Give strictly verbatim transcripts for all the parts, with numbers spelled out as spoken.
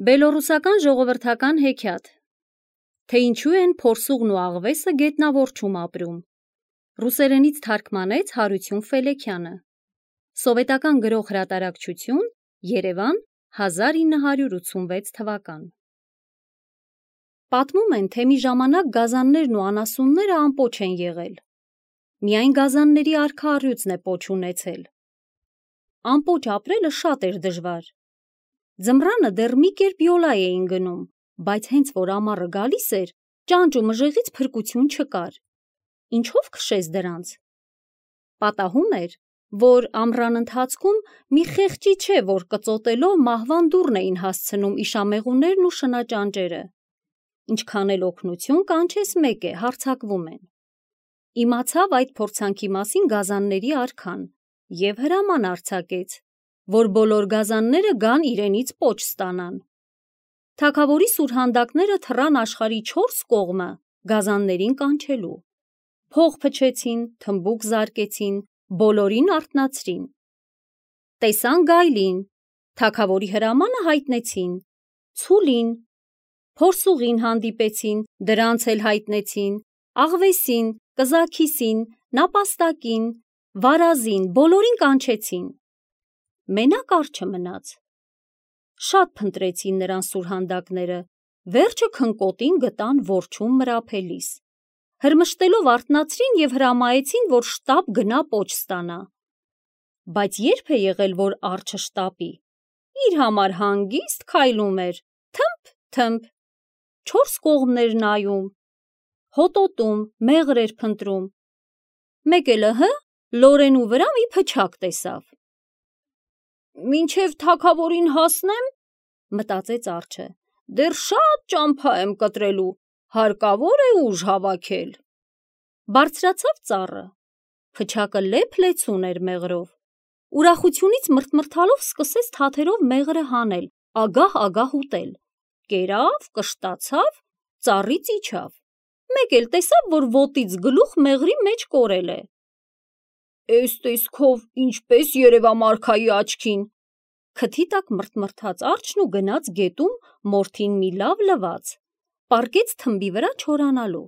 Բելոռուսական ժողովրդական հեքիաթ, թե ինչու են փորսուղն ու աղվեսը գետնավորչում ապրում, ռուսերենից թարգմանեց Հարություն Ֆելեքյանը, սովետական գրող հրատարակչություն, Երևան, հազար ինը հարյուր ութսունվեց թվական։ Պատմում են, թե մի ժամանակ գազաններն ու անասունները ամպոչ են եղել, միայն գազանների արքա առյուծն է պոչ ունեցել։ Ամպոչ ապրելը շատ էր դժվար։ Ձմռանը դեռ մի կերպ յոլա էին գնում, բայց հենց որ ամառը գալիս էր, ճանճ ու մժեղից փրկություն չկար։ Ինչով քշես դրանց։ Պատահում էր, որ ամռան ընթացքում մի խեղճի չէ, որ կծոտելով մահվան դուռն էին հասցնում իշամեղուներն ու շնաճանճերը։ Ինչքան էլ օգնություն կանչես մեկ է, հարձակվում են։ Իմացավ այդ փորձանքի մասին գազանների արքան և հրաման արձակեց, որ բոլոր գազանները գան իրենից պոչ ստանան։ Թագավորի սուրհանդակները թռան աշխարհի չորս կողմը գազաններին կանչելու։ Փող փչեցին, թմբուկ զարկեցին, բոլորին արթնացրին։ Տեսան գայլին, թագավորի հրամանը հայտնեցին, ցուլին, փորսուղին հանդիպեցին, դրանց էլ հայտնեցին, աղվեսին, կզաքիսին, նապաստակին, վարազին, բոլորին կանչեցին։ Մենակ արջը մնաց։ Շատ փնտրեցին նրան սուրհանդակները, վերջը քնկոտին գտան որջում մրափելիս։ Հրմշտելով արթնացրին և հրամայեցին, որ շտապ գնա պոչ ստանա։ Բայց երբ է եղել, որ արջը շտապի, իր համար հանգիստ քայլում էր, թմփ, թմփ, չորս կողմներ նայում, հոտոտում, մեղր էր փնտրում։ Մեկ էլ ըհը, լորենու վրա մի փչակ տեսավ։ Մինչև թագավորին հասնեմ, մտածեց արջը, դեռ շատ ճամփա եմ կտրելու, հարկավոր է ուժ հավաքել։ Բարձրացավ ծառը, փչակը լեփ-լեցուն էր մեղրով։ Ուրախությունից մռթմռթալով սկսեց թաթերով մեղրը հանել, ագահ-ագահ ուտել։ Կերավ, կշտացավ, ծառից իջավ։ Մեկ էլ տեսավ, որ ոտից գլուխ մեղրի մեջ կորել է։ Էս տեսքով ինչպես երևամ արքայի աչքին, քթի տակ մռթմռթաց արջն ու գնաց գետում մորթին մի լավ լվաց, պառկեց թմբի վրա չորանալու։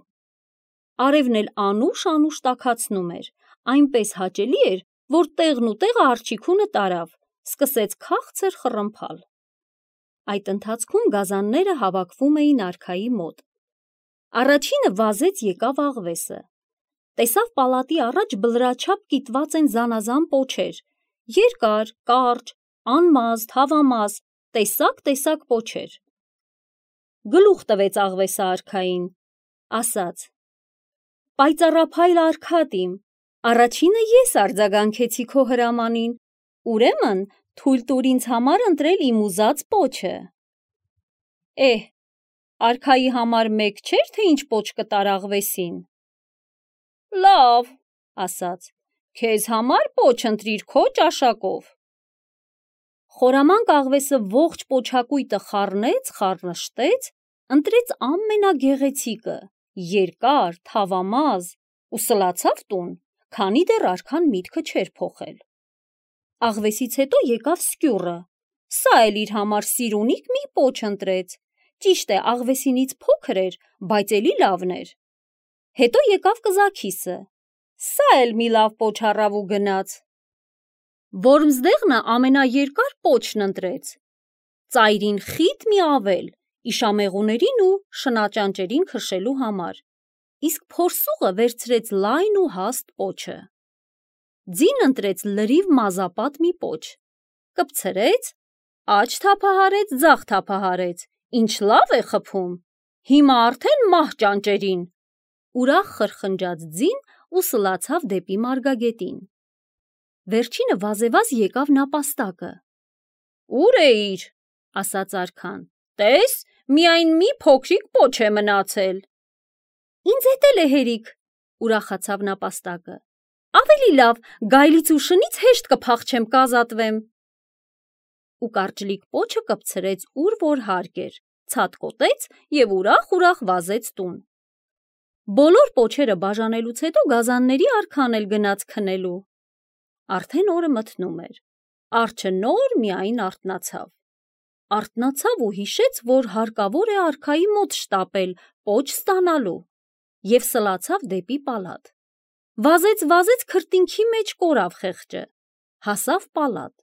Արևն էլ անուշ-անուշ տաքացնում էր, այնպես հաճելի էր, որ տեղն ու տեղը արջիկունը տարավ, սկսեց քաղցր խռմփալ։ Այդ ընթացքում գազանները հավաքվում էին արքայի մոտ։ Առաջինը վազեց եկավ աղվեսը։ Տեսավ պալատի առաջ բլրաչափ կիտված են զանազան պոչեր, երկար, կարճ, անմազ, թավամազ, տեսակ-տեսակ պոչեր։ Գլուխ տվեց աղվեսը արքային, ասաց. Պայծառափայլ արքատ իմ, առաջինը ես արձագանքեցի քո հրամանին, ուրեմն թույլ տուր ինձ համար ընտրել իմ ուզած պոչը։ Էհ, արքայի համար մեկ չէր, թե ինչ պոչ կտար աղվեսին։ Լավ, ասաց, քեզ համար պոչ ընտրիր քո ճաշակով։ Խորամանկ աղվեսը ողջ պոչակույտը խառնեց, խառնշտեց, ընտրեց ամենագեղեցիկը, երկար, թավամազ ու սլացավ տուն, քանի դեռ արքան միտքը չէր փոխել։ Աղվեսից հետո եկավ սկյուռը, սա էլ իր համար սիրունիկ մի պոչ ընտրեց, ճիշտ է, աղվեսինից փոքր էր, բայց էլի լավն էր։ Հետո եկավ կզաքիսը, սա էլ մի լավ պոչ առավ ու գնաց։ Որմզդեղնը ամենաերկար պոչն ընտրեց, ծայրին խիտ մի ավել, իշամեղուներին ու շնաճանճերին քշելու համար, իսկ փորսուղը վերցրեց լայն ու հաստ պոչը։ Ձին ընտրեց լրիվ մազապատ մի պոչ, կպցրեց, աջ թափահարեց, ձախ թափահարեց, ինչ լավ է խփում, հիմա արդեն մահ ճանճերին, ուրախ խրխնջաց ձին ու սլացավ դեպի մարգագետին։ Վերջինը վազեվազ եկավ նապաստակը։ Ուր էիր, ասաց արքան, տես, միայն մի փոքրիկ պոչ է մնացել։ Ինձ հետ էլ է հերիք, ուրախացավ նապաստակը, ավելի լավ, գայլից ու շնից հեշտ կփախչեմ, կազատվեմ։ Ու կարճլիկ պոչը կպցրեց ուր որ հարկ էր, ցատկոտեց և ուրախ-ուրախ վազեց տուն։ Բոլոր պոչերը բաժանելուց հետո գազանների արքան էլ գնաց քնելու։ Արդեն օրը մթնում էր, արջը նոր միայն արթնացավ։ արթնացավ ու հիշեց, որ հարկավոր է արքայի մոտ շտապել պոչ ստանալու, և սլացավ դեպի պալատ։ Վազեց-վազեց քրտինքի մեջ կորավ խեղճը, հասավ պալատ։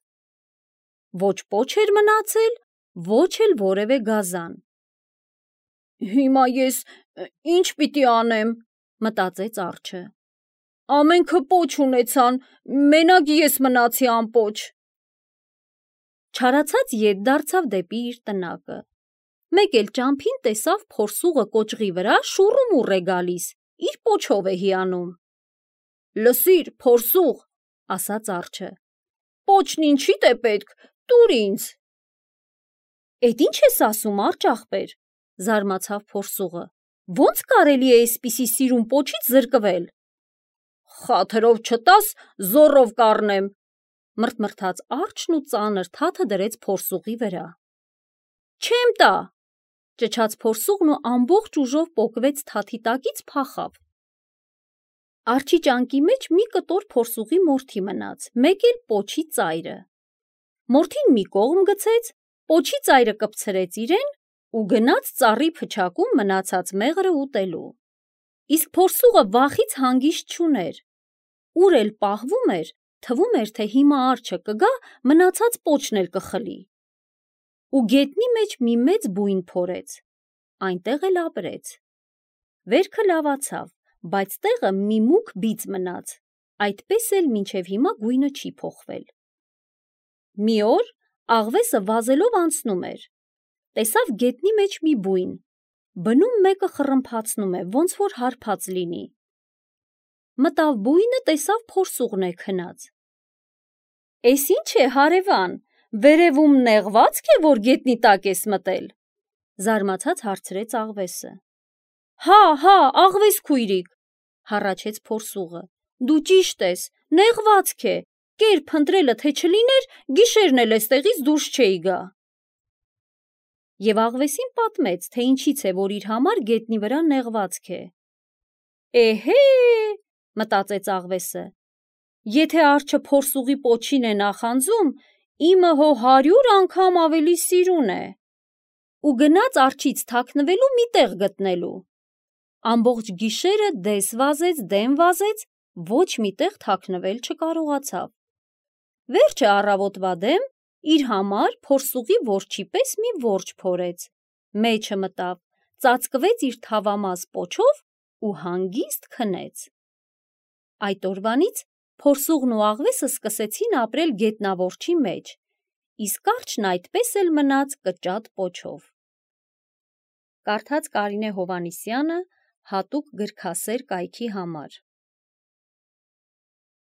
Ոչ պոչ էր մնացել, ոչ էլ որևէ գազան։ «Հիմա ես ինչ պիտի անեմ», մտածեց արջը։ «Ամենքը պոչ ունեցան, մենակ ես մնացի անպոչ»։ Չարացած ետ դարձավ դեպի իր տնակը։ Մեկ էլ ճամփին տեսավ փորսուղը կոճղի վրա շուռումուռ է գալիս, իր պոչով է հիանում։ «Լսիր, փորսուղ», ասաց արջը, «պոչն ինչիդ է պետք, տուր ինձ»։ «Էդ ինչ ես ասում, արջ ախպեր», զարմացավ փորսուղը, «ո՞նց կարելի է էսպիսի սիրուն պոչից զրկվել»։ «Խաթրով չտաս, զոռով կառնեմ», մռթմռթաց արջն ու ծանր թաթը դրեց փորսուղի վրա։ «Չեմ տա», ճչաց փորսուղն ու ամբողջ ուժով պոկվեց թաթի տակից փախավ։ Արջի ճանկի մեջ մի կտոր փորսուղի մորթի մնաց, մեկ էլ պոչի ծայրը։ Մորթին մի կողմ գցեց, պոչի ծայրը կպցրեց իրեն ու գնաց ծառի փչակում մնացած մեղրը ուտելու։ Իսկ փորսուղը վախից հանգիստ չուներ։ Ուր էլ պահվում էր, թվում էր, թե հիմա արջը կգա, մնացած պոչն էլ կխլի։ Ու գետնի մեջ մի մեծ բույն փորեց, այնտեղ էլ ապրեց։ Վերքը լավացավ, բայց տեղը մի մուգ բիծ մնաց, այդպես էլ մինչև հիմա գույնը չի փոխվել։ Մի օր աղվեսը վազելով անցնում էր, տեսավ գետնի մեջ մի բույն, բնում մեկը խռմփացնում է, ոնց որ հարբած լինի։ Մտավ բույնը, տեսավ փորսուղն է քնած։ «Էս ինչ է, հարևան, վերևում նեղվա՞ցք է, որ գետնի տակ ես մտել», զարմացած հարցրեց աղվեսը։ «Հա, հա, աղվես քույրիկ», հառաչեց փորսուղը, «դու ճիշտ ես, նեղվացք է, կեր փնտրելը թե չլիներ, գիշերն էլ էստեղից դուրս չէի գա»։ Եվ աղվեսին պատմեց, թե ինչից է, որ իր համար գետնի վրա նեղվածք է։ «Էհե», մտածեց աղվեսը, «եթե արջը փորսուղի պոչին է նախանձում, իմը հո հարյուր անգամ ավելի սիրուն է»։ Ու գնաց արջից թաքնվելու մի տեղ գտնելու։ Ամբողջ գիշերը դես վազեց, դեմ վազեց, ոչ մի տեղ թաքնվել չկարողացավ։ Վերջը առավոտվա դեմ իր համար փորսուղի որջի պես մի որջ փորեց, մեջը մտավ, ծածկվեց իր թավամաս պոչով ու հանգիստ քնեց։ Այդ օրվանից փորսուղն ու աղվեսը սկսեցին ապրել գետնավորչի մեջ, իսկ արջն այդպես էլ մնաց կճատ պոչով։ Կարդաց Կարինե Հովհաննիսյանը հատուկ գրքասեր կայքի համար։